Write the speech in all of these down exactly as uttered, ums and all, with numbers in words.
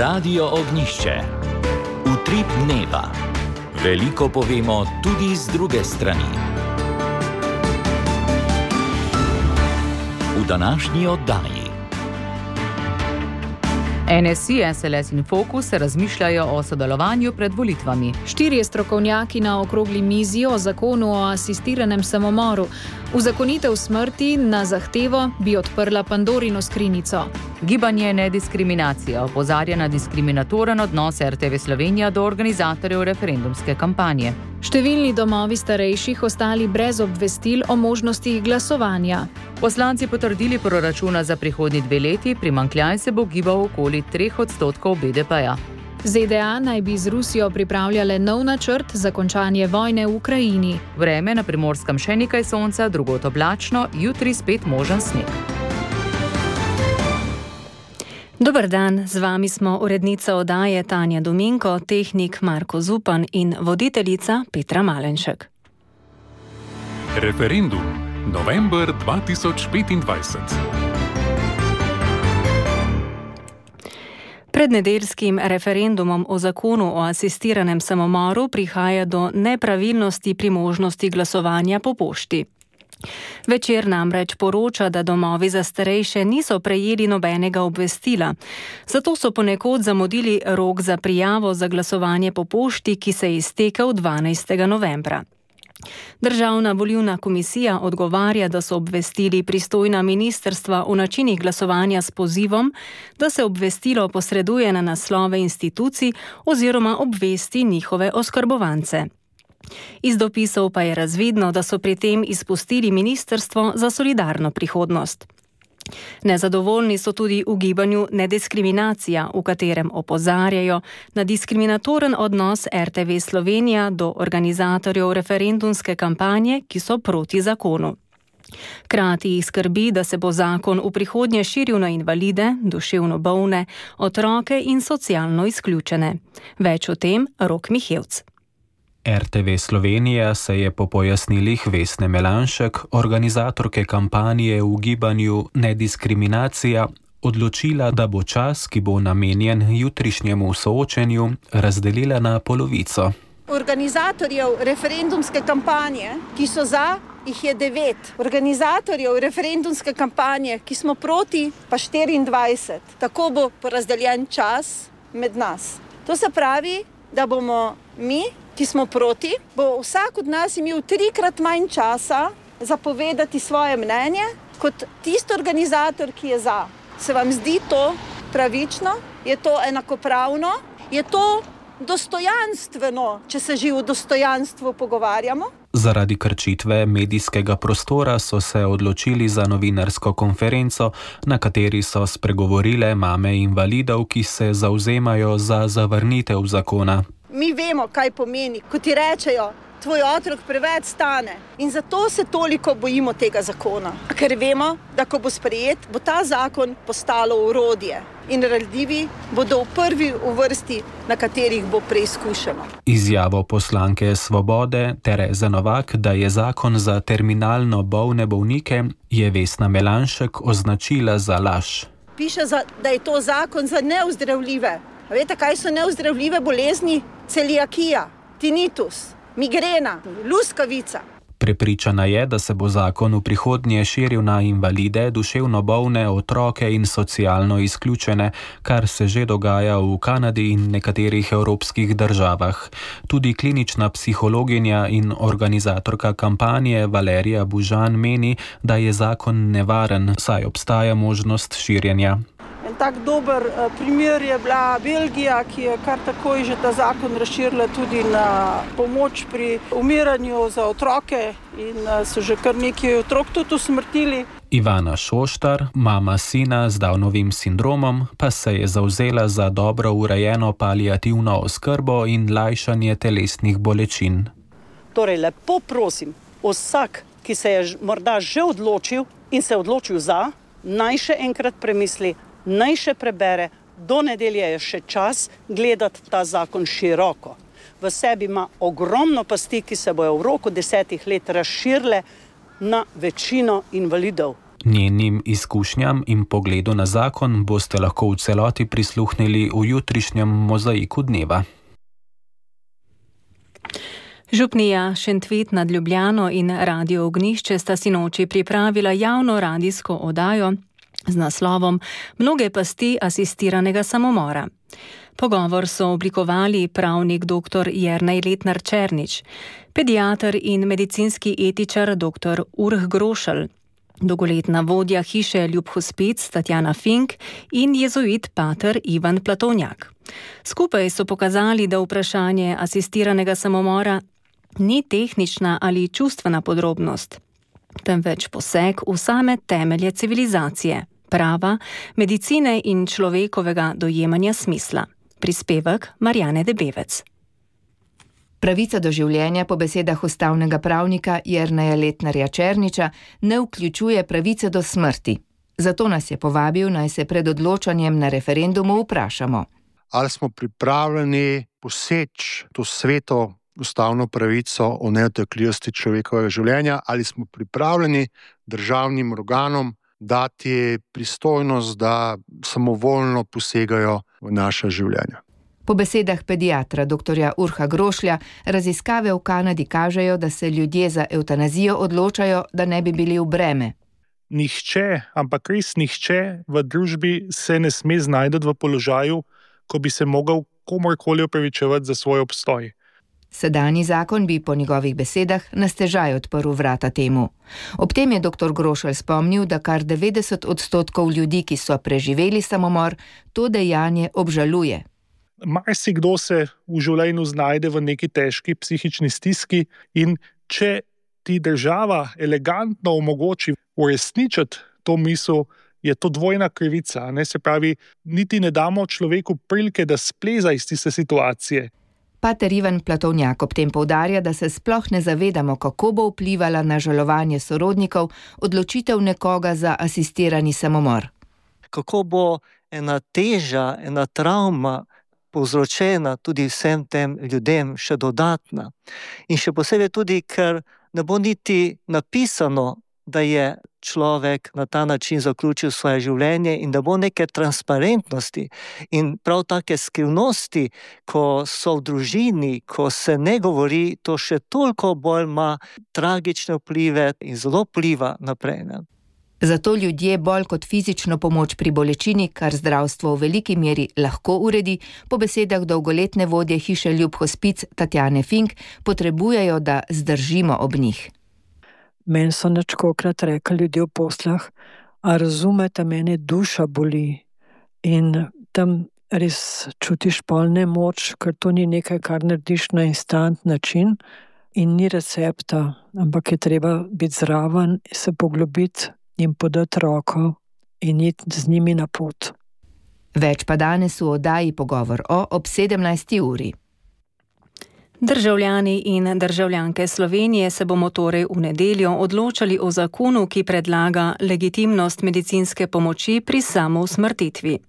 Radio Ognjišče. Utrip dneva. Veliko povemo tudi z druge strani. V današnji oddaji. N S I, S L S in Fokus razmišljajo o sodelovanju pred volitvami. Štirje strokovnjaki na okrogli mizi o zakonu o asistiranem samomoru. Uzakonitev smrti na zahtevo bi odprla Pandorino skrinjico. Gibanje Nediskriminacija opozarja na diskriminatoren odnos R T V Slovenija do organizatorjev referendumske kampanje. Številni domovi starejših ostali brez obvestil o možnosti glasovanja. Poslanci potrdili proračuna za prihodnji dve leti, primanjkljaj se bo gibal okoli treh odstotkov B D P-ja. Z D A naj bi z Rusijo pripravljale nov načrt za končanje vojne v Ukrajini. Vreme na Primorskem še nekaj sonca, drugod oblačno, jutri spet možen sneg. Dober dan, z vami smo urednica oddaje Tanja Dominko, tehnik Marko Zupan in voditeljica Petra Malenšek. Referendum. November dva tisoč petindvajset. Pred nedeljskim referendumom o zakonu o asistiranem samomoru prihaja do nepravilnosti pri možnosti glasovanja po pošti. Večer namreč poroča, da domovi za starejše niso prejeli nobenega obvestila, zato so ponekod zamudili rok za prijavo za glasovanje po pošti, ki se je iztekel dvanajstega novembra. Državna volilna komisija odgovarja, da so obvestili pristojna ministrstva o načinih glasovanja s pozivom, da se obvestilo posreduje na naslove institucij oziroma obvesti njihove oskrbovance. Iz dopisov pa je razvidno, da so pri tem izpustili Ministrstvo za solidarno prihodnost. Nezadovoljni so tudi v gibanju Nediskriminacija, v katerem opozarjajo na diskriminatoren odnos R T V Slovenija do organizatorjev referendumske kampanje, ki so proti zakonu. Krati jih skrbi, da se bo zakon v prihodnje širil na invalide, duševno bolne, otroke in socialno izključene. Več o tem Rok Mihevc. R T V Slovenija se je po pojasnilih Vesne Melanšek, organizatorke kampanje v gibanju Nediskriminacija, odločila, da bo čas, ki bo namenjen jutrišnjemu soočenju, razdelila na polovico. Organizatorjev referendumske kampanje, ki so za, jih je devet. Organizatorjev referendumske kampanje, ki smo proti, pa štiriindvajset. Tako bo porazdeljen čas med nas. To se pravi, da bomo mi, ki smo proti, bo vsak od nas imel trikrat manj časa za povedati svoje mnenje, kot tisti organizator, ki je za. Se vam zdi to pravično? Je to enakopravno? Je to dostojanstveno, če se že o dostojanstvu pogovarjamo? Zaradi krčitve medijskega prostora so se odločili za novinarsko konferenco, na kateri so spregovorile mame invalidov, ki se zavzemajo za zavrnitev zakona. Mi vemo, kaj pomeni, ko ti rečejo, tvoj otrok preveč stane, in zato se toliko bojimo tega zakona. Ker vemo, da ko bo sprejet, bo ta zakon postalo orodje in ranljivi bodo v prvi v vrsti, na katerih bo preizkušeno. Izjavo poslanke Svobode Tereze Novak, da je zakon za terminalno bolne bolnike, je Vesna Melanšek označila za laž. Piše, da je to zakon za neozdravljive. A veste, kaj so neozdravljive bolezni? Celiakija, tinitus, migrena, luskavica. Prepričana je, da se bo zakon v prihodnje širil na invalide, duševno bolne, otroke in socialno izključene, kar se že dogaja v Kanadi in nekaterih evropskih državah. Tudi klinična psihologinja in organizatorka kampanje Valerija Bužan meni, da je zakon nevaren, saj obstaja možnost širjenja. En tak dober primer je bila Belgija, ki je kar takoj že ta zakon razširila tudi na pomoč pri umiranju za otroke in so že kar nekaj otrok tudi usmrtili. Ivana Šoštar, mama sina z Downovim sindromom, pa se je zavzela za dobro urejeno paliativno oskrbo in lajšanje telesnih bolečin. Torej, lepo prosim, vsak, ki se je morda že odločil in se odločil za, naj še enkrat premisli, naj še prebere, do nedelje je še čas gledati ta zakon široko. V sebi ima ogromno pasti, ki se bojo v roku desetih let razširile na večino invalidov. Njenim izkušnjam in pogledu na zakon boste lahko v celoti prisluhnili v jutrišnjem mozaiku dneva. Župnija Šentvid nad Ljubljano in Radio Ognjišče sta sinoči pripravila javno radijsko oddajo z naslovom Mnoge pasti asistiranega samomora. Pogovor so oblikovali pravnik dr. Jernej Letnar Černič, pediater in medicinski etičar dr. Urh Grošelj, dolgoletna vodja hiše Ljub Hospic Tatjana Fink in jezuit pater Ivan Platonjak. Skupaj so pokazali, da vprašanje asistiranega samomora ni tehnična ali čustvena podrobnost, temveč poseg v same temelje civilizacije, prava, medicine in človekovega dojemanja smisla. Prispevek Marjane Debevec. Pravica do življenja po besedah ustavnega pravnika Jerneja Letnarja Černiča ne vključuje pravice do smrti. Zato nas je povabil, naj se pred odločanjem na referendumu vprašamo. Ali smo pripravljeni poseči to sveto ustavno pravico o nedotakljivosti človekovega življenja, ali smo pripravljeni državnim organom dati pristojnost, da samovoljno posegajo v naša življenja. Po besedah pediatra dr. Urha Grošlja, raziskave v Kanadi kažejo, da se ljudje za evtanazijo odločajo, da ne bi bili v breme. Nihče, ampak res nihče v družbi se ne sme znajdeti v položaju, ko bi se mogel komorkoli opravičevati za svoj obstoj. Sedanji zakon bi po njegovih besedah na stežaj odprl vrata temu. Ob tem je dr. Grošelj spomnil, da kar devetdeset odstotkov ljudi, ki so preživeli samomor, to dejanje obžaluje. Marsikdo se v življenju znajde v neki težki psihični stiski in če ti država elegantno omogoči uresničiti to misel, je to dvojna krivica. Ne? Se pravi, niti ne damo človeku prilike, da spleza iz tiste situacije. Pater Ivan Platonjak ob tem poudarja, da se sploh ne zavedamo, kako bo vplivala na žalovanje sorodnikov odločitev nekoga za asistirani samomor. Kako bo ena teža, ena travma povzročena tudi vsem tem ljudem še dodatna. In še posebej tudi, ker ne bo niti napisano, da je človek na ta način zaključil svoje življenje in da bo neke transparentnosti in prav take skrivnosti, ko so v družini, ko se ne govori, to še toliko bolj ima tragične vplive in zelo vpliva naprej. Ne? Zato ljudje bolj kot fizično pomoč pri bolečini, kar zdravstvo v veliki meri lahko uredi, po besedah dolgoletne vodje hiše Ljub Hospic Tatjane Fink, potrebujejo, da zdržimo ob njih. Meni so načkokrat rekli ljudje v poslah, a razumete, mene duša boli in tam res čutiš pol nemoč, ker to ni nekaj, kar narediš na instant način in ni recepta, ampak je treba biti zraven, se poglobiti in podati roko in iti z njimi na pot. Več pa danes v oddaji Pogovor o ob sedemnajsti uri. Državljani in državljanke Slovenije se bomo torej v nedeljo odločali o zakonu, ki predlaga legitimnost medicinske pomoči pri samousmrtitvi.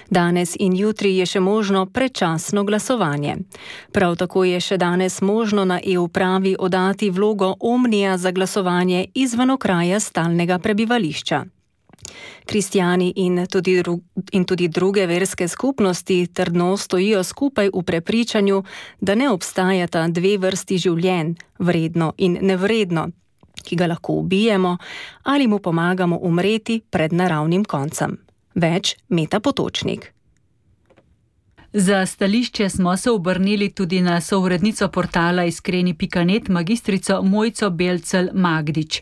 Danes in jutri je še možno predčasno glasovanje. Prav tako je še danes možno na e-upravi oddati vlogo omnija za glasovanje izven okraja stalnega prebivališča. Kristjani in tudi, dru- in tudi druge verske skupnosti trdno stojijo skupaj v prepričanju, da ne obstajata dve vrsti življenj, vredno in nevredno, ki ga lahko ubijemo ali mu pomagamo umreti pred naravnim koncem. Več Meta Potočnik. Za stališče smo se obrnili tudi na sourednico portala iskreni pika net magistrico Mojco Belcel Magdič.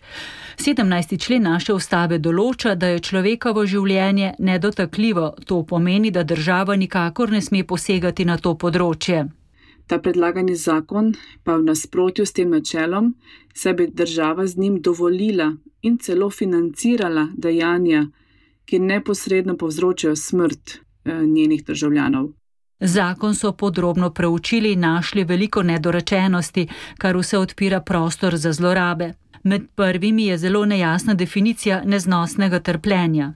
sedemnajsti člen naše ustave določa, da je človekovo življenje nedotakljivo. To pomeni, da država nikakor ne sme posegati na to področje. Ta predlagani zakon pa v nasprotju s tem načelom, saj bi država z njim dovolila in celo financirala dejanja, ki neposredno povzročajo smrt eh, njenih državljanov. Zakon so podrobno preučili in našli veliko nedorečenosti, kar vse odpira prostor za zlorabe. Med prvimi je zelo nejasna definicija neznosnega trpljenja.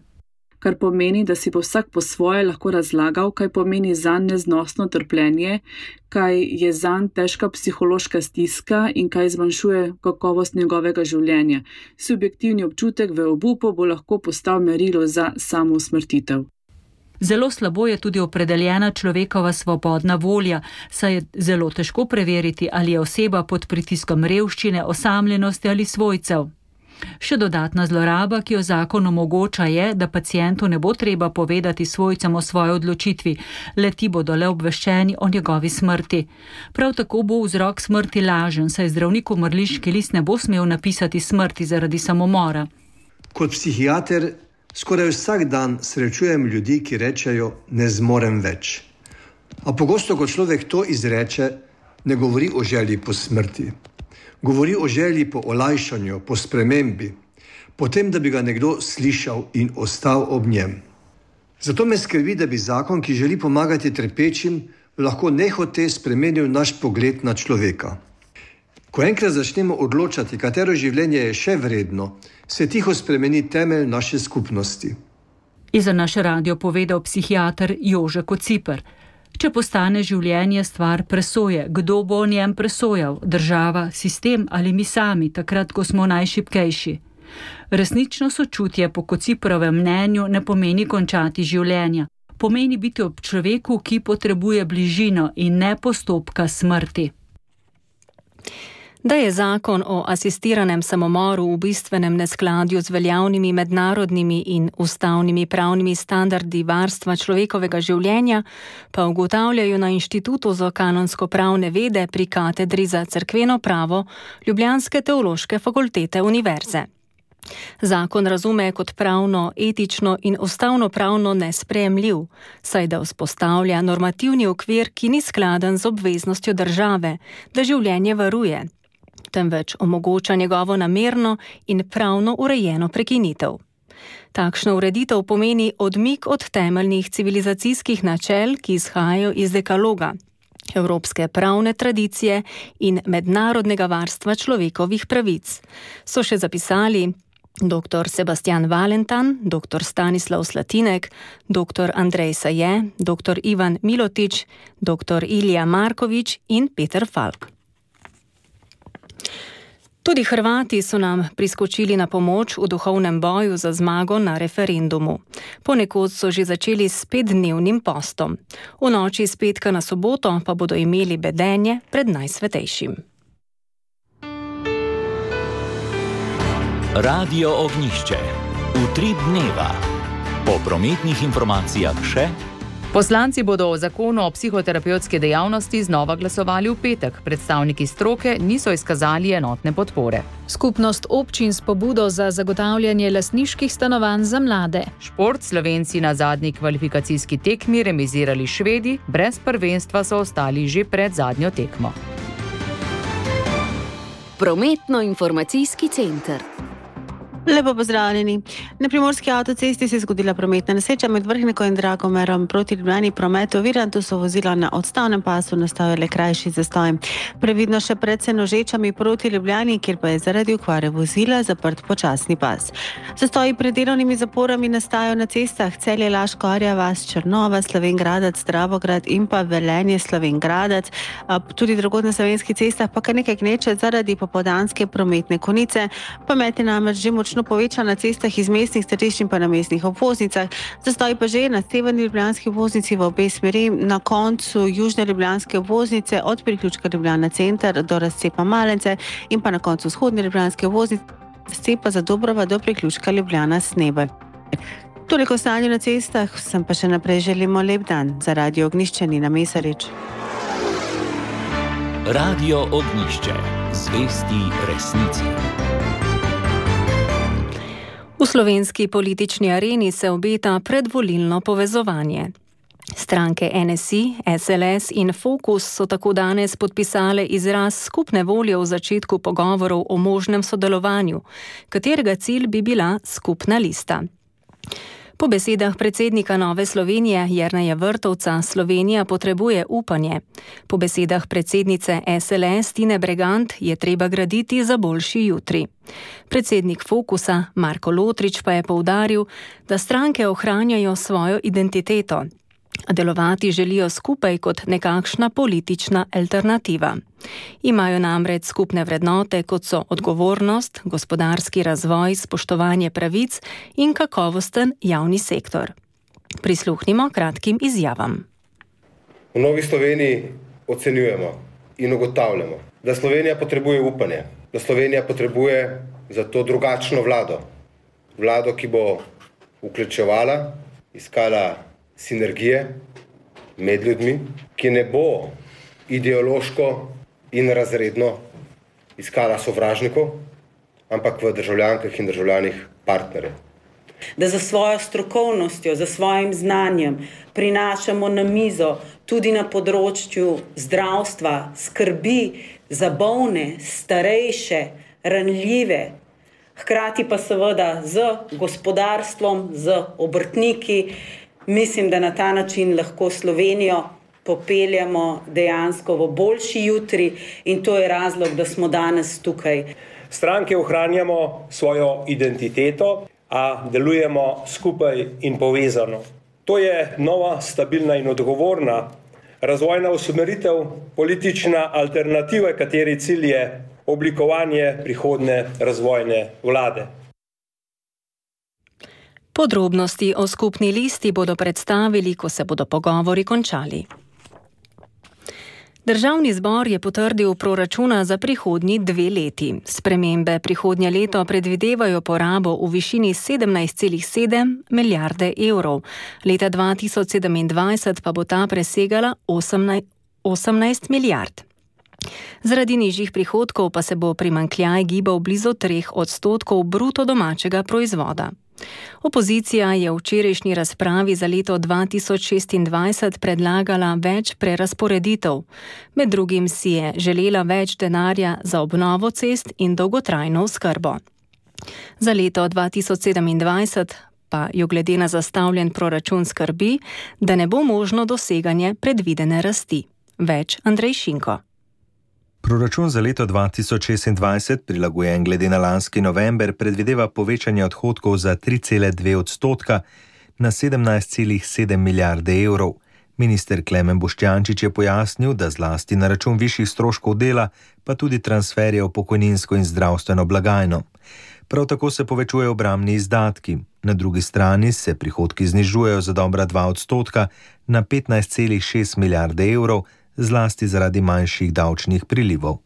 kar pomeni, da si bo vsak po svoje lahko razlagal, kaj pomeni zanj neznosno trpljenje, kaj je zanj težka psihološka stiska in kaj zmanjšuje kakovost njegovega življenja. Subjektivni občutek v obupu bo lahko postal merilo za samousmrtitev. Zelo slabo je tudi opredeljena človekova svobodna volja, saj je zelo težko preveriti, ali je oseba pod pritiskom revščine, osamljenosti ali svojcev. Še dodatna zloraba, ki jo zakon omogoča, je, da pacientu ne bo treba povedati svojcem o svoji odločitvi, le ti bodo le obveščeni o njegovi smrti. Prav tako bo vzrok smrti lažen, saj zdravnik v mrliški list ne bo smel napisati smrti zaradi samomora. Kot psihiater skoraj vsak dan srečujem ljudi, ki rečejo, ne zmorem več. A pogosto, ko človek to izreče, ne govori o želji po smrti. Govori o želji po olajšanju, po spremembi, po tem, da bi ga nekdo slišal in ostal ob njem. Zato me skrbi, da bi zakon, ki želi pomagati trpečim, lahko nehote spremenil naš pogled na človeka. Ko enkrat začnemo odločati, katero življenje je še vredno, se tiho spremeni temelj naše skupnosti. Je za naš radio povedal psihiater Jože Kociper. Če postane življenje stvar presoje, kdo bo o njem presojal? Država, sistem ali mi sami, takrat, ko smo najšibkejši? Resnično sočutje po Kociperovem mnenju ne pomeni končati življenja. Pomeni biti ob človeku, ki potrebuje bližino in ne postopka smrti. Da je zakon o asistiranem samomoru v bistvenem neskladju z veljavnimi mednarodnimi in ustavnimi pravnimi standardi varstva človekovega življenja, pa ugotavljajo na Inštitutu za kanonsko-pravne vede pri katedri za cerkveno pravo Ljubljanske teološke fakultete univerze. Zakon razume kot pravno, etično in ustavno-pravno nesprejemljiv, saj da vzpostavlja normativni okvir, ki ni skladen z obveznostjo države, da življenje varuje, temveč omogoča njegovo namerno in pravno urejeno prekinitev. Takšna ureditev pomeni odmik od temeljnih civilizacijskih načel, ki izhajajo iz dekaloga, evropske pravne tradicije in mednarodnega varstva človekovih pravic. So še zapisali doktor Sebastian Valentan, doktor Stanislav Slatinek, doktor Andrej Saje, doktor Ivan Milotič, doktor Ilija Markovič in Peter Falk. Tudi Hrvati so nam priskočili na pomoč v duhovnem boju za zmago na referendumu. Ponekod so že začeli s petdnevnim postom. V noči z petka na soboto pa bodo imeli bedenje pred Najsvetejšim. Radio Ognjišče. Utrip dneva. Po prometnih informacijah še. Poslanci bodo o zakonu o psihoterapevtski dejavnosti znova glasovali v petek. Predstavniki stroke niso izkazali enotne podpore. Skupnost občin s pobudo za zagotavljanje lastniških stanovanj za mlade. Šport. Slovenci na zadnji kvalifikacijski tekmi remizirali Švedi, brez prvenstva so ostali že pred zadnjo tekmo. Prometno-informacijski center. Lepo pozdravljeni. Na primorski avtocesti se je zgodila prometna nesreča med Vrhniko in Dragomerom proti Ljubljani. Promet oviran, tu so vozila na odstavnem pasu, nastal je le krajši zastoj. Previdno še pred Senožečami proti Ljubljani, kjer pa je zaradi okvare vozila zaprt počasni pas. Zastoji pred delovnimi zaporami nastajajo na cestah Celje, Laško, Arja vas, Črnova, Slovenj Gradec, Dravograd in pa Velenje, Slovenj Gradec. Tudi drugod na slovenskih cestah pa kar nekaj gneče zaradi popoldanske prometne konice. Promet je namreč že močno povečan na cestah iz mestnih središč in pa na mestnih obvoznicah. Zastoj pa že na severni ljubljanski obvoznici v obe smeri, na koncu južne ljubljanske obvoznice od priključka Ljubljana center do razcepa Malence in pa na koncu vzhodne ljubljanske obvoznice razcepa Zadobrova do priključka Ljubljana Snebel. Toliko stanje na cestah, sem pa še naprej želimo lep dan. Za Radio Ognjišče Nina Mesarič. Radio Ognjišče. Zvesti resnici. V slovenski politični areni se obeta predvolilno povezovanje. Stranke N S I, S L S in Fokus so tako danes podpisale izraz skupne volje v začetku pogovorov o možnem sodelovanju, katerega cilj bi bila skupna lista. Po besedah predsednika Nove Slovenije Jerneja Vrtovca Slovenija potrebuje upanje. Po besedah predsednice S L S Tine Bregant je treba graditi za boljši jutri. Predsednik Fokusa Marko Lotrič pa je poudaril, da stranke ohranjajo svojo identiteto. Delovati želijo skupaj kot nekakšna politična alternativa. Imajo namreč skupne vrednote, kot so odgovornost, gospodarski razvoj, spoštovanje pravic in kakovosten javni sektor. Prisluhnimo kratkim izjavam. V Novi Sloveniji ocenjujemo in ugotavljamo, da Slovenija potrebuje upanje, da Slovenija potrebuje zato drugačno vlado. Vlado, ki bo vključevala, iskala sinergije med ljudmi, ki ne bo ideološko in razredno iskala sovražnikov, ampak v državljankah in državljanih partnerjev. Da za svojo strokovnostjo, za svojim znanjem prinašamo na mizo tudi na področju zdravstva, skrbi za bolne, starejše, ranljive, hkrati pa seveda z gospodarstvom, z obrtniki. Mislim, da na ta način lahko Slovenijo popeljamo dejansko v boljši jutri in to je razlog, da smo danes tukaj. Stranke ohranjamo svojo identiteto, a delujemo skupaj in povezano. To je nova, stabilna in odgovorna razvojna usmeritev, politična alternativa, kateri cilj je oblikovanje prihodnje razvojne vlade. Podrobnosti o skupni listi bodo predstavili, ko se bodo pogovori končali. Državni zbor je potrdil proračuna za prihodnji dve leti. Spremembe prihodnje leto predvidevajo porabo v višini sedemnajst celih sedem milijarde evrov. Leta dva tisoč sedemindvajset pa bo ta presegala osemnajst milijard. Zaradi nižjih prihodkov pa se bo primanjkljaj gibal blizu treh odstotkov bruto domačega proizvoda. Opozicija je v včerajšnji razpravi za leto dva tisoč šestindvajset predlagala več prerazporeditev. Med drugim si je želela več denarja za obnovo cest in dolgotrajno oskrbo. Za leto dva tisoč sedemindvajset pa jo glede na zastavljen proračun skrbi, da ne bo možno doseganje predvidene rasti. Več Andrej Šinko. Proračun za leto dva tisoč šestindvajset, prilagojen glede na lanski november, predvideva povečanje odhodkov za tri cele dve odstotka na sedemnajst celih sedem milijarde evrov. Minister Klemen Boštjančič je pojasnil, da zlasti na račun višjih stroškov dela, pa tudi transferje v pokojninsko in zdravstveno blagajno. Prav tako se povečujejo obrambni izdatki. Na drugi strani se prihodki znižujejo za dobra dva odstotka na petnajst celih šest milijarde evrov, zlasti zaradi manjših davčnih prilivov.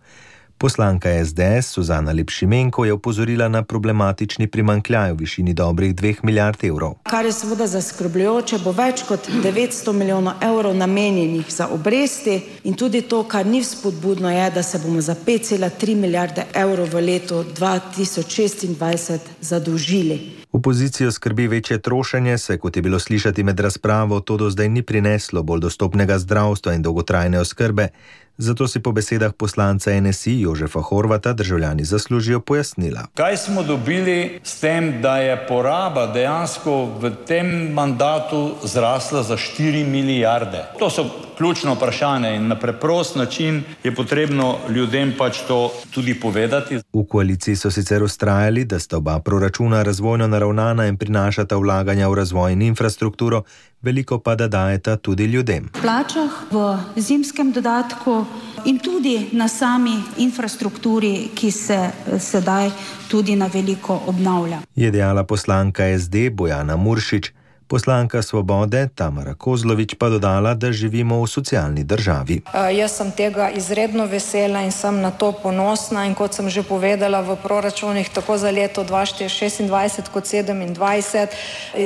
Poslanka S D S Suzana Lep-Šimenko je opozorila na problematični primanjkljaj v višini dobrih dveh milijard evrov. Kar je seveda zaskrbljujoče, bo več kot devetsto milijonov evrov namenjenih za obresti in tudi to, kar ni vzpodbudno, je, da se bomo za pet celih tri milijarde evrov v letu dva tisoč šestindvajset zadolžili. Opozicijo skrbi večje trošenje, se, kot je bilo slišati med razpravo, to do zdaj ni prineslo bolj dostopnega zdravstva in dolgotrajne oskrbe. Zato si po besedah poslanca N S I Jožefa Horvata državljani zaslužijo pojasnila. Kaj smo dobili s tem, da je poraba dejansko v tem mandatu zrasla za štiri milijarde? To so ključno vprašanje in na preprost način je potrebno ljudem pač to tudi povedati. V koaliciji so sicer vztrajali, da sta oba proračuna razvojno naravnana in prinašata vlaganja v razvoj in infrastrukturo, veliko pa da dajeta tudi ljudem. V plačah, v zimskem dodatku in tudi na sami infrastrukturi, ki se sedaj tudi na veliko obnavlja. Je dejala poslanka S D Bojana Muršič. Poslanka Svobode Tamara Kozlovič pa dodala, da živimo v socialni državi. Uh, jaz sem tega izredno vesela in sem na to ponosna in kot sem že povedala v proračunih tako za leto dva tisoč šestindvajset kot sedemindvajset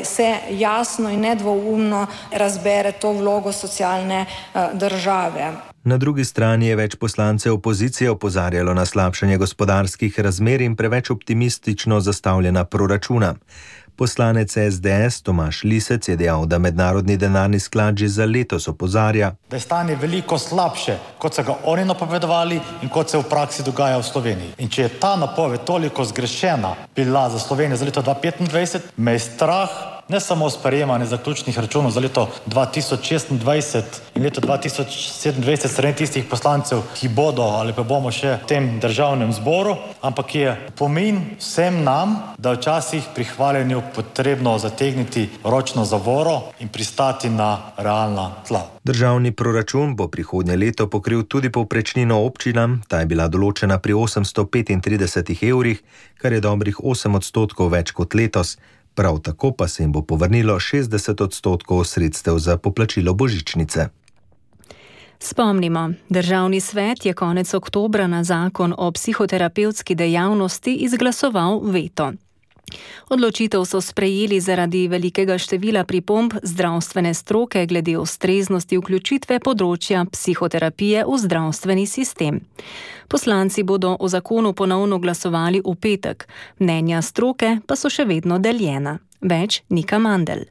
se jasno in nedvoumno razbere to vlogo socialne uh, države. Na drugi strani je več poslancev opozicije opozarjalo na slabšanje gospodarskih razmer in preveč optimistično zastavljena proračuna. Poslanec S D S Tomaž Lisec je dejal, da mednarodni denarni sklad že za letos opozarja, da je stanje veliko slabše, kot so ga oni napovedovali in kot se v praksi dogaja v Sloveniji. In če je ta napoved toliko zgrešena bila za Slovenijo za leto dva tisoč petindvajset, me je strah, ne samo sprejemanje zaključnih računov za leto dva tisoč šestindvajset in leto dva tisoč sedemindvajset strani tistih poslancev, ki bodo ali pa bomo še v tem državnem zboru, ampak je pomen vsem nam, da včasih pri hvaljenju potrebno zategniti ročno zavoro in pristati na realna tla. Državni proračun bo prihodnje leto pokril tudi povprečnino občinam, ta je bila določena pri osemsto petintrideset evrih, kar je dobrih osem odstotkov več kot letos. Prav tako pa se jim bo povrnilo šestdeset odstotkov sredstev za poplačilo božičnice. Spomnimo, Državni svet je konec oktobra na zakon o psihoterapevtski dejavnosti izglasoval veto. Odločitev so sprejeli zaradi velikega števila pripomb zdravstvene stroke glede ustreznosti vključitve področja psihoterapije v zdravstveni sistem. Poslanci bodo o zakonu ponovno glasovali v petek, mnenja stroke pa so še vedno deljena. Več Nika Mandl.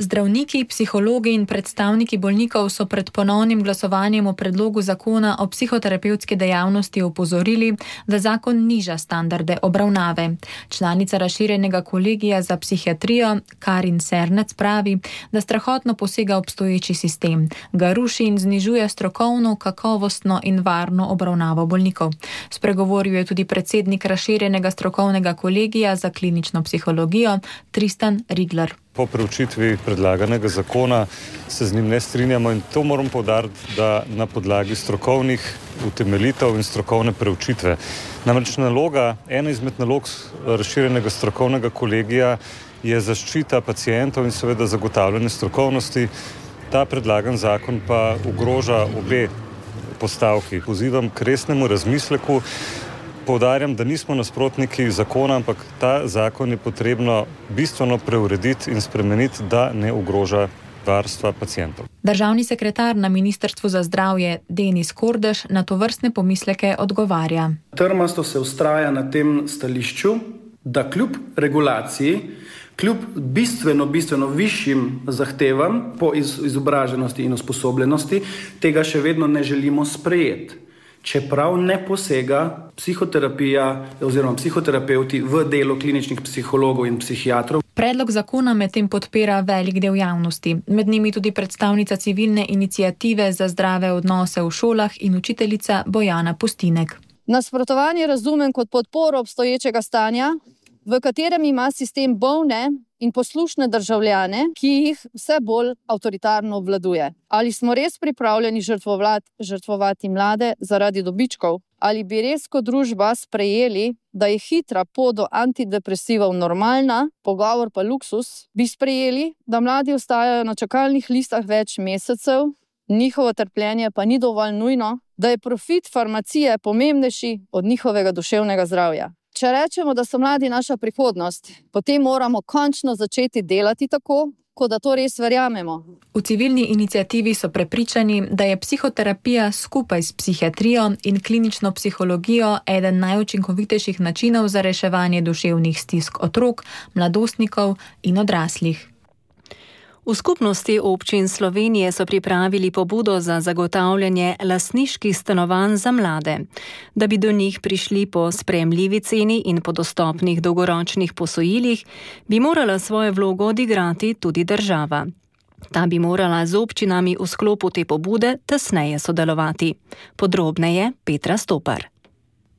Zdravniki, psihologi in predstavniki bolnikov so pred ponovnim glasovanjem o predlogu zakona o psihoterapevtski dejavnosti opozorili, da zakon niža standarde obravnave. Članica razširjenega kolegija za psihiatrijo Karin Sernec pravi, da strahotno posega obstoječi sistem, ga ruši in znižuje strokovno, kakovostno in varno obravnavo bolnikov. Spregovoril je tudi predsednik razširjenega strokovnega kolegija za klinično psihologijo Tristan Rigler. Po preučitvi predlaganega zakona se z njim ne strinjamo in to moram poudariti, da na podlagi strokovnih utemeljitev in strokovne preučitve. Namreč naloga, ena izmed nalog razširjenega strokovnega kolegija je zaščita pacientov in seveda zagotavljanje strokovnosti. Ta predlagan zakon pa ogroža obe postavki. Pozivam k resnemu razmisleku. Poudarjam, da nismo nasprotniki zakona, ampak ta zakon je potrebno bistveno preurediti in spremeniti, da ne ogroža varstva pacientov. Državni sekretar na Ministrstvu za zdravje Denis Kordež na tovrstne pomisleke odgovarja. Trmasto se vztraja na tem stališču, da kljub regulaciji, kljub bistveno, bistveno višjim zahtevam po izobraženosti in usposobljenosti, tega še vedno ne želimo sprejeti. Čeprav ne posega psihoterapija oziroma psihoterapeuti v delo kliničnih psihologov in psihiatrov. Predlog zakona medtem podpira velik del javnosti, med njimi tudi predstavnica civilne iniciative za zdrave odnose v šolah in učiteljica Bojana Pustinek. Nasprotovanje razumem kot podporo obstoječega stanja, v katerem ima sistem bolne in poslušne državljane, ki jih vse bolj avtoritarno obvladuje. Ali smo res pripravljeni žrtvovati mlade zaradi dobičkov? Ali bi res kot družba sprejeli, da je hitra pot do antidepresivov normalna, pogovor pa luksus? Bi sprejeli, da mladi ostajajo na čakalnih listah več mesecev, njihovo trpljenje pa ni dovolj nujno, da je profit farmacije pomembnejši od njihovega duševnega zdravja? Če rečemo, da so mladi naša prihodnost, potem moramo končno začeti delati tako, kot da to res verjamemo. V civilni iniciativi so prepričani, da je psihoterapija skupaj s psihiatrijo in klinično psihologijo eden najučinkovitejših načinov za reševanje duševnih stisk otrok, mladostnikov in odraslih. V skupnosti občin Slovenije so pripravili pobudo za zagotavljanje lastniških stanovanj za mlade. Da bi do njih prišli po sprejemljivi ceni in po dostopnih dolgoročnih posojilih, bi morala svojo vlogo odigrati tudi država. Ta bi morala z občinami v sklopu te pobude tesneje sodelovati. Podrobneje Petra Stopar.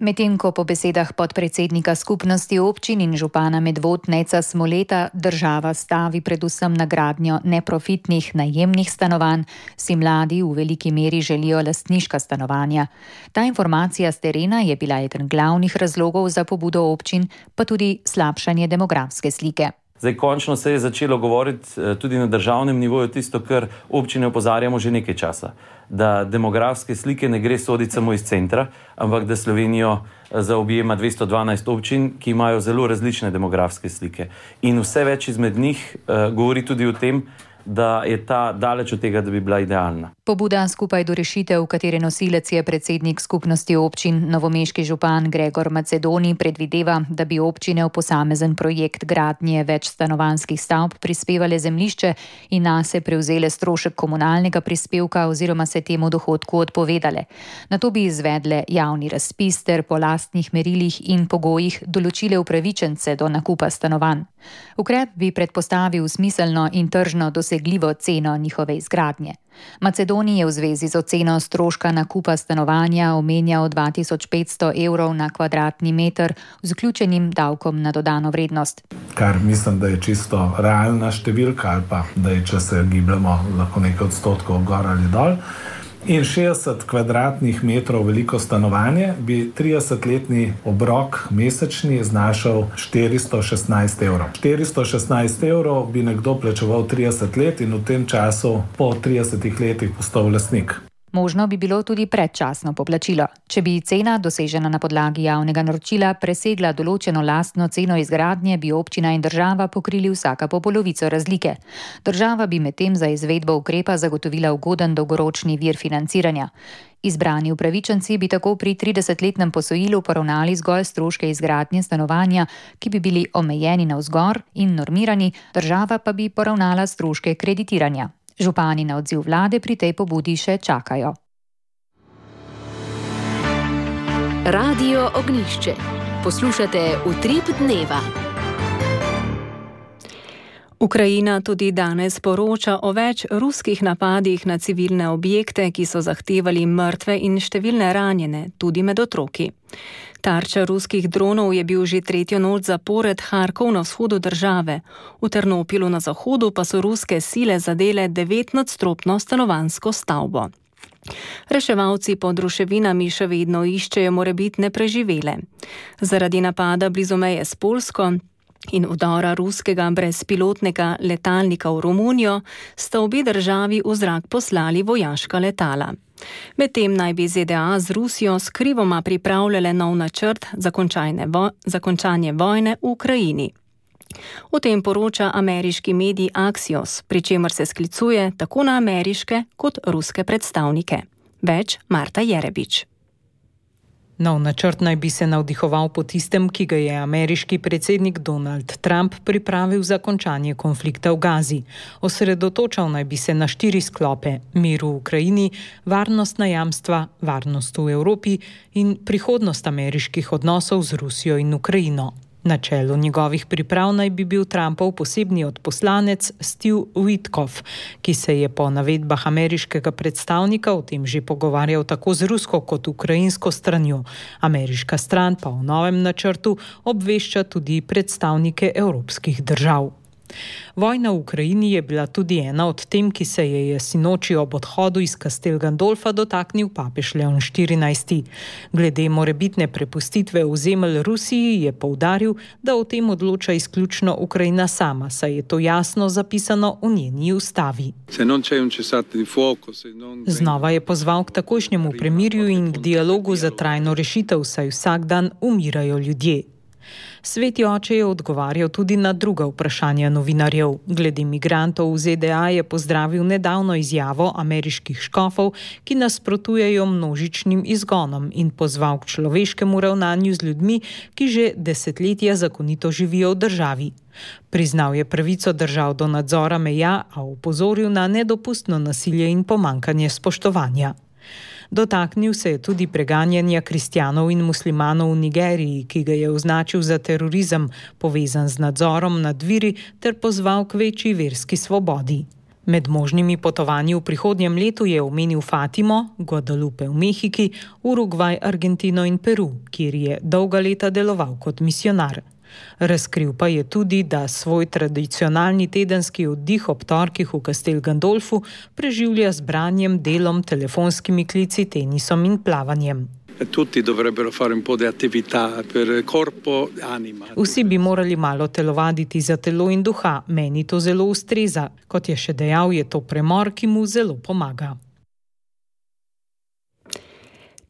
Medtem ko po besedah podpredsednika skupnosti občin in župana Medvod Neca Smoleta država stavi predvsem na gradnjo neprofitnih najemnih stanovanj, si mladi v veliki meri želijo lastniška stanovanja. Ta informacija s terena je bila eden glavnih razlogov za pobudo občin, pa tudi slabšanje demografske slike. Zdaj, končno se je začelo govoriti tudi na državnem nivoju tisto, kar občine opozarjamo že nekaj časa. Da demografske slike ne gre soditi samo iz centra, ampak da Slovenijo zaobjema dvesto dvanajst občin, ki imajo zelo različne demografske slike. In vse več izmed njih uh, govori tudi o tem, da je ta daleč od tega, da bi bila idealna. Pobuda Skupaj do rešitev, katere nosilec je predsednik skupnosti občin novomeški župan Gregor Macedoni, predvideva, da bi občine v posamezen projekt gradnje več stanovanjskih stavb prispevale zemljišče in nase prevzele strošek komunalnega prispevka oziroma se temu dohodku odpovedale. Nato bi izvedle javni razpis ter po lastnih merilih in pogojih določile upravičence do nakupa stanovanj. Ukrep bi predpostavil smiselno in tržno dosegljivo ceno njihove izgradnje. Macedoniji je v zvezi z oceno stroška nakupa stanovanja omenjal dva tisoč petsto evrov na kvadratni meter z vključenim davkom na dodano vrednost. Kar mislim, da je čisto realna številka ali pa da je, če se gibljamo lahko nekaj odstotkov gor ali dol. In šestdeset kvadratnih metrov veliko stanovanje bi tridesetletni obrok mesečni znašal štiristo šestnajst evrov. štiristo šestnajst evrov bi nekdo plačeval trideset let in v tem času po tridesetih letih postal lastnik. Možno bi bilo tudi predčasno poplačilo. Če bi cena, dosežena na podlagi javnega naročila, presegla določeno lastno ceno izgradnje, bi občina in država pokrili vsaka po polovico razlike. Država bi medtem za izvedbo ukrepa zagotovila ugoden dolgoročni vir financiranja. Izbrani upravičenci bi tako pri tridesetletnem posojilu poravnali zgolj stroške izgradnje stanovanja, ki bi bili omejeni navzgor in normirani, država pa bi poravnala stroške kreditiranja. Župani na odziv vlade pri tej pobudi še čakajo. Radio Ognjišče. Poslušate Utrip dneva. Ukrajina tudi danes poroča o več ruskih napadih na civilne objekte, ki so zahtevali mrtve in številne ranjene, tudi med otroki. Tarča ruskih dronov je bil že tretjo noč zapored Harkov na vzhodu države. V Ternopilu na zahodu pa so ruske sile zadele devetnadstropno stanovanjsko stavbo. Reševalci pod ruševinami še vedno iščejo morebitne preživele. Zaradi napada blizu meje s Poljsko in vdora ruskega brezpilotnega letalnika v Romunijo sta obe državi v zrak poslali vojaška letala. Medtem naj bi Z D A z Rusijo skrivoma pripravljale nov načrt za končanje, vo za končanje vojne v Ukrajini. O tem poroča ameriški medij Axios, pri čemer se sklicuje tako na ameriške kot ruske predstavnike. Več Marta Jerebič. Nov načrt naj bi se navdihoval po tistem, ki ga je ameriški predsednik Donald Trump pripravil za končanje konflikta v Gazi. Osredotočal naj bi se na štiri sklope: mir v Ukrajini, varnostna jamstva, varnost v Evropi in prihodnost ameriških odnosov z Rusijo in Ukrajino. Na čelu njegovih priprav naj bi bil Trumpov posebni odposlanec Steve Witkoff, ki se je po navedbah ameriškega predstavnika o tem že pogovarjal tako z rusko kot ukrajinsko stranjo. Ameriška stran pa v novem načrtu obvešča tudi predstavnike evropskih držav. Vojna v Ukrajini je bila tudi ena od tem, ki se je je sinoči ob odhodu iz Castel Gandolfa dotaknil papež Leon štirinajsti. Glede morebitne prepustitve ozemelj Rusiji je poudaril, da o tem odloča izključno Ukrajina sama, saj je to jasno zapisano v njeni ustavi. Znova je pozval k takojšnjemu premirju in k dialogu za trajno rešitev, saj vsak dan umirajo ljudje. Sveti oče je odgovarjal tudi na druga vprašanja novinarjev. Glede migrantov v Z D A je pozdravil nedavno izjavo ameriških škofov, ki nasprotujejo množičnim izgonom in pozval k človeškemu ravnanju z ljudmi, ki že desetletja zakonito živijo v državi. Priznal je pravico držav do nadzora meja, a opozoril na nedopustno nasilje in pomankanje spoštovanja. Dotaknil se je tudi preganjanja kristjanov in muslimanov v Nigeriji, ki ga je označil za terorizem, povezan z nadzorom nad viri, ter pozval k večji verski svobodi. Med možnimi potovanji v prihodnjem letu je omenil Fatimo, Guadalupe v Mehiki, Urugvaj, Argentino in Peru, kjer je dolga leta deloval kot misionar. Razkril pa je tudi, da svoj tradicionalni tedenski oddih ob torkih v Castel Gandolfu preživlja z branjem, delom, telefonskimi klici, tenisom in plavanjem. Vsi bi morali malo telovaditi za telo in duha, meni to zelo ustreza. Kot je še dejal, je to premor, ki mu zelo pomaga.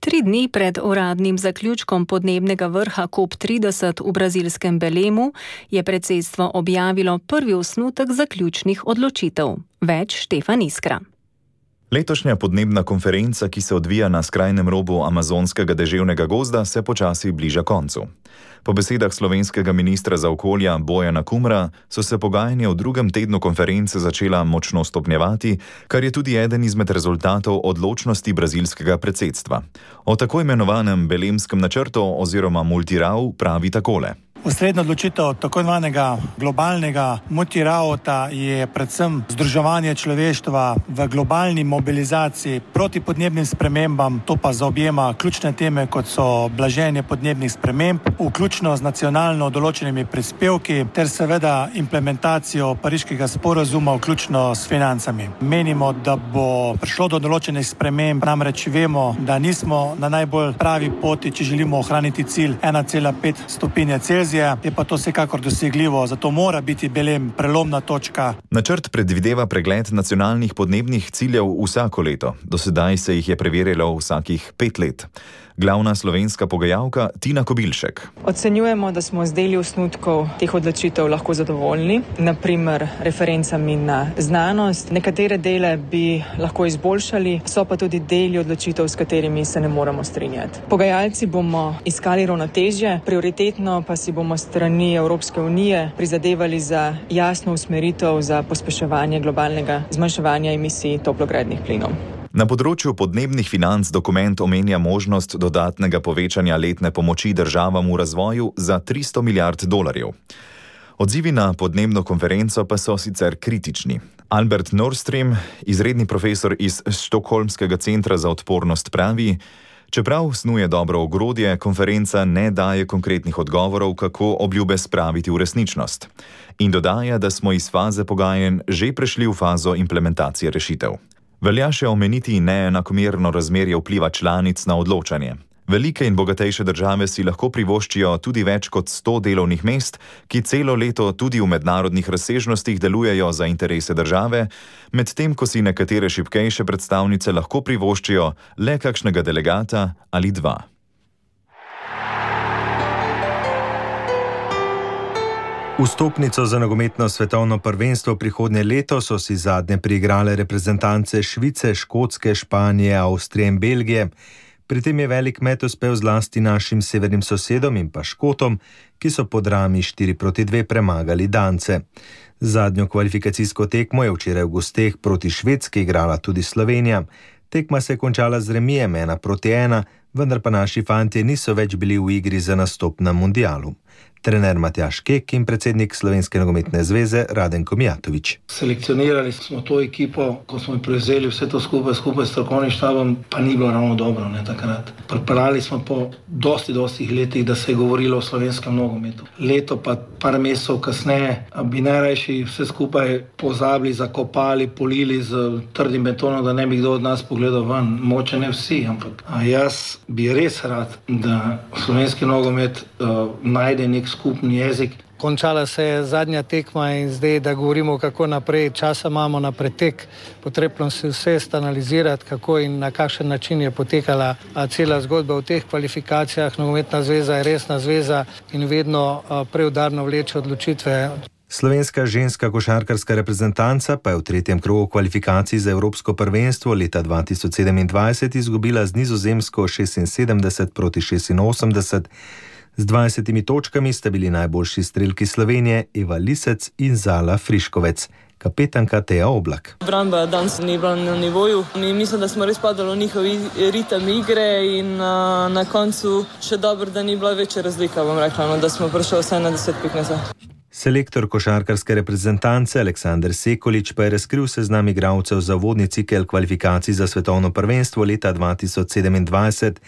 Tri dni pred uradnim zaključkom podnebnega vrha COP trideset v brazilskem Belemu je predsedstvo objavilo prvi osnutek zaključnih odločitev. Več Štefan Iskra. Letošnja podnebna konferenca, ki se odvija na skrajnem robu amazonskega deževnega gozda, se počasi bliža koncu. Po besedah slovenskega ministra za okolja Bojana Kumra so se pogajanja v drugem tednu konference začela močno stopnjevati, kar je tudi eden izmed rezultatov odločnosti brazilskega predsedstva. O tako imenovanem belemskem načrtu oziroma multirau pravi takole. Osrednja odločitev tako imenovanega globalnega multirauta je predvsem združevanje človeštva v globalni mobilizaciji proti podnebnim spremembam, to pa zaobjema ključne teme, kot so blaženje podnebnih sprememb, vključno z nacionalno določenimi prispevki ter seveda implementacijo pariškega sporazuma, vključno s financami. Menimo, da bo prišlo do določenih sprememb, namreč vemo, da nismo na najbolj pravi poti, če želimo ohraniti cilj ena cela pet stopinje Celzija. Je pa to vsekakor dosegljivo, zato mora biti Belem prelomna točka. Načrt predvideva pregled nacionalnih podnebnih ciljev vsako leto. Do sedaj se jih je preverjalo vsakih pet let. Glavna slovenska pogajalka Tina Kobilšek. Ocenjujemo, da smo z deli osnutkov teh odločitev lahko zadovoljni, naprimer referencami na znanost. Nekatere dele bi lahko izboljšali, so pa tudi deli odločitev, s katerimi se ne moremo strinjati. Pogajalci bomo iskali ravnotežje, prioritetno pa si bomo strani Evropske unije prizadevali za jasno usmeritev za pospeševanje globalnega zmanjševanja emisij toplogrednih plinov. Na področju podnebnih financ dokument omenja možnost dodatnega povečanja letne pomoči državam v razvoju za tristo milijard dolarjev. Odzivi na podnebno konferenco pa so sicer kritični. Albert Nordström, izredni profesor iz Štokholmskega centra za odpornost, pravi: čeprav snuje dobro ogrodje, konferenca ne daje konkretnih odgovorov, kako obljube spraviti v resničnost. In dodaja, da smo iz faze pogajanj že prešli v fazo implementacije rešitev. Velja še omeniti neenakomerno razmerje vpliva članic na odločanje. Velike in bogatejše države si lahko privoščijo tudi več kot sto delovnih mest, ki celo leto tudi v mednarodnih razsežnostih delujejo za interese države, medtem ko si nekatere šibkejše predstavnice lahko privoščijo le kakšnega delegata ali dva. Vstopnico za nogometno svetovno prvenstvo prihodnje leto so si zadnje priigrale reprezentance Švice, Škotske, Španije, Avstrije in Belgije. Pri tem je velik met uspel zlasti našim severnim sosedom in pa Škotom, ki so po drami štiri proti dve premagali Dance. Zadnjo kvalifikacijsko tekmo je včeraj v gosteh proti Švedski igrala tudi Slovenija. Tekma se je končala z remijem ena proti ena, vendar pa naši fantje niso več bili v igri za nastop na mundialu. Trener Matjaž Kek in predsednik Slovenske nogometne zveze Radenko Mijatović. Selekcionirali smo to ekipo, ko smo prevzeli vse to skupaj, skupaj s strokovnim štabom, pa ni bilo ravno dobro, ne, takrat. Pripravili smo po dosti, dosti letih, da se je govorilo o slovenskem nogometu. Leto pa par mesecev kasneje bi najrajši vse skupaj pozabili, zakopali, polili z trdim betonom, da ne bi kdo od nas pogledal ven. Moče ne vsi, ampak a jaz bi res rad, da slovenski nogomet uh, najde nek skupni jezik. Končala se je zadnja tekma in zdaj, da govorimo, kako naprej, časa imamo na pretek, potrebno se vse analizirati, kako in na kakšen način je potekala cela zgodba v teh kvalifikacijah. Nogometna zveza je resna zveza in vedno preudarno vleče odločitve. Slovenska ženska košarkarska reprezentanca pa je v tretjem krogu kvalifikacij za Evropsko prvenstvo leta dva tisoč sedemindvajset izgubila z Nizozemsko šestinsedemdeset proti šestinosemdeset. Z dvajsetimi točkami sta bili najboljši strelki Slovenije Eva Lisec in Zala Friškovec. Kapetanka Teja Oblak. Obramba danes ni bila na nivoju. Mi mislim, da smo res padali v njihov ritem igre in uh, na koncu še dobro, da ni bila večja razlika, bom rekla, no, da smo prišli vsaj na deset pik nazaj. Selektor košarkarske reprezentance Aleksander Sekolič pa je razkril seznam igralcev za vodni cikel kvalifikacij za svetovno prvenstvo leta dva tisoč sedemindvajset.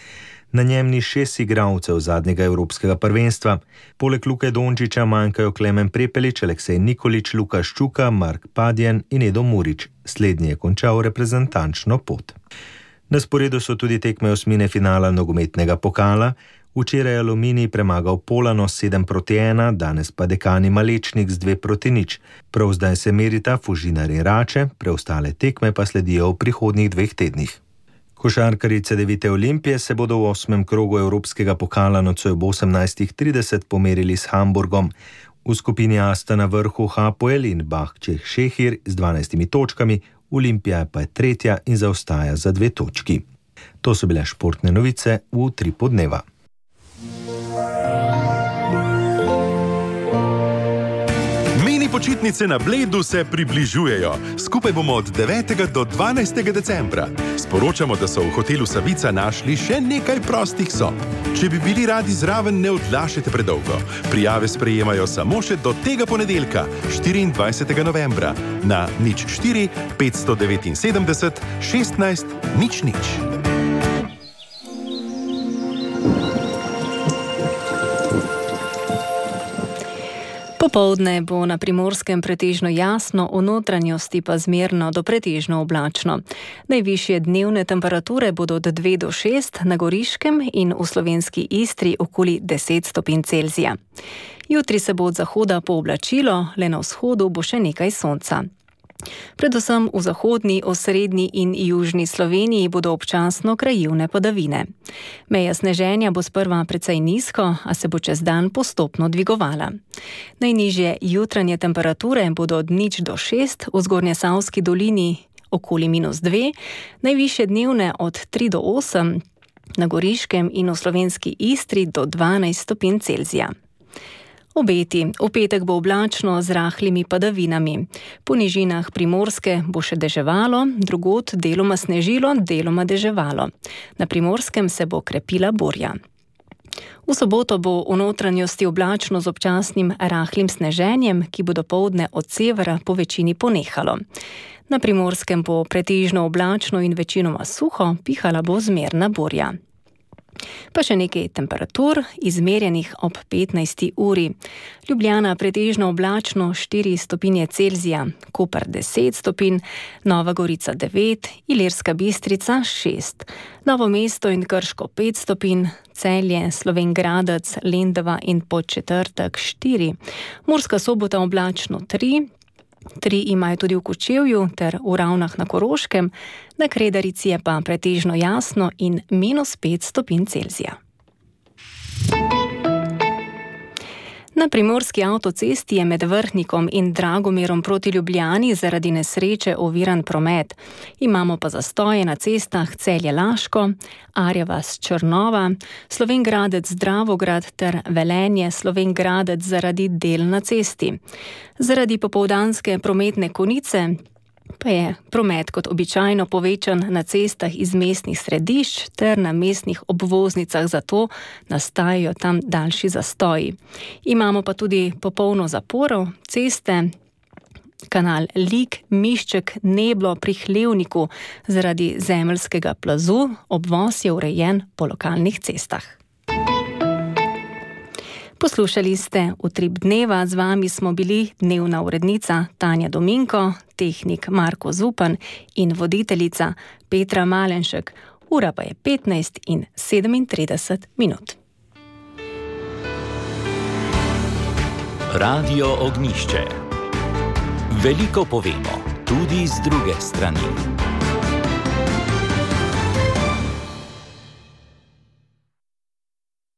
Na njem ni šest igralcev zadnjega evropskega prvenstva. Poleg Luke Dončića manjkajo Klemen Prepelič, Aleksej Nikolić, Luka Ščuka, Mark Padjen in Edo Murić. Slednji je končal reprezentančno pot. Na sporedu so tudi tekme osmine finala nogometnega pokala. Včeraj je Aluminij premagal Polano sedem proti ena, danes pa Dekani Malečnik z dve proti nič. Prav zdaj se merita Fužinar in Rače, preostale tekme pa sledijo v prihodnjih dveh tednih. Košarkarji Cedevite Olimpije se bodo v osmem krogu evropskega pokala nocoj ob osemnajstih trideset pomerili s Hamburgom. V skupini A sta na vrhu Hapoel in Bahčeh Šehir z dvanajstimi točkami, Olimpija pa je tretja in zaostaja za dve točki. To so bile športne novice v Utripu dneva. Počitnice na Bledu se približujejo. Skupaj bomo od devetega do dvanajstega decembra. Sporočamo, da so v hotelu Savica našli še nekaj prostih sob. Če bi bili radi zraven, ne odlašajte predolgo. Prijave sprejemajo samo še do tega ponedeljka, štiriindvajsetega novembra, na nič štiri petsto devetinsedemdeset šestnajst nič nič. Popoldne bo na Primorskem pretežno jasno, v notranjosti pa zmerno do pretežno oblačno. Najvišje dnevne temperature bodo od dve do šest, na Goriškem in v slovenski Istri okoli deset stopinj Celzija. Jutri se bo od zahoda pooblačilo, le na vzhodu bo še nekaj sonca. Predvsem v zahodni, osrednji in južni Sloveniji bodo občasno krajevne padavine. Meja sneženja bo sprva precej nizko, a se bo čez dan postopno dvigovala. Najnižje jutranje temperature bodo od nič do šest, v Zgornjesavski dolini okoli minus dve, najvišje dnevne od tri do osem, na Goriškem in v slovenski Istri do dvanajst stopinj Celzija. Obeti. V petek bo oblačno z rahlimi padavinami. Po nižinah Primorske bo še deževalo, drugod deloma snežilo, deloma deževalo. Na Primorskem se bo krepila burja. V soboto bo v notranjosti oblačno z občasnim rahlim sneženjem, ki bo dopoldne od severa po večini ponehalo. Na Primorskem bo pretežno oblačno in večinoma suho, pihala bo zmerna burja. Pa še nekaj temperatur, izmerjenih ob petnajsti uri. Ljubljana pretežno oblačno štiri stopinje Celzija, Koper deset stopinj, Nova Gorica devet, Ilirska Bistrica šest, Novo mesto in Krško pet stopinj, Celje, Slovenj Gradec, Lendava in Podčetrtek štiri, Murska Sobota oblačno tri, Tri imajo tudi v Kočevju ter v Ravnah na Koroškem, na Kredarici je pa pretežno jasno in minus pet stopinj Celzija. Na primorski avtocesti je med Vrhnikom in Dragomerom proti Ljubljani zaradi nesreče oviran promet. Imamo pa zastoje na cestah Celje-Laško, Arjevas-Črnova, Slovenj Gradec-Dravograd ter Velenje-Slovenj Gradec zaradi del na cesti. Zaradi popoldanske prometne konice pa je promet kot običajno povečan na cestah iz mestnih središč ter na mestnih obvoznicah, zato nastajajo tam daljši zastoji. Imamo pa tudi popolno zaporo ceste, kanal Lig, Mišček, Neblo pri Hlevniku zaradi zemeljskega plazu, obvoz je urejen po lokalnih cestah. Poslušali ste Utrip dneva, z vami smo bili dnevna urednica Tanja Dominko, tehnik Marko Zupan in voditeljica Petra Malenšek. Ura pa je petnajst in sedemintrideset minut. Radio Ognjišče. Veliko povemo, tudi z druge strani.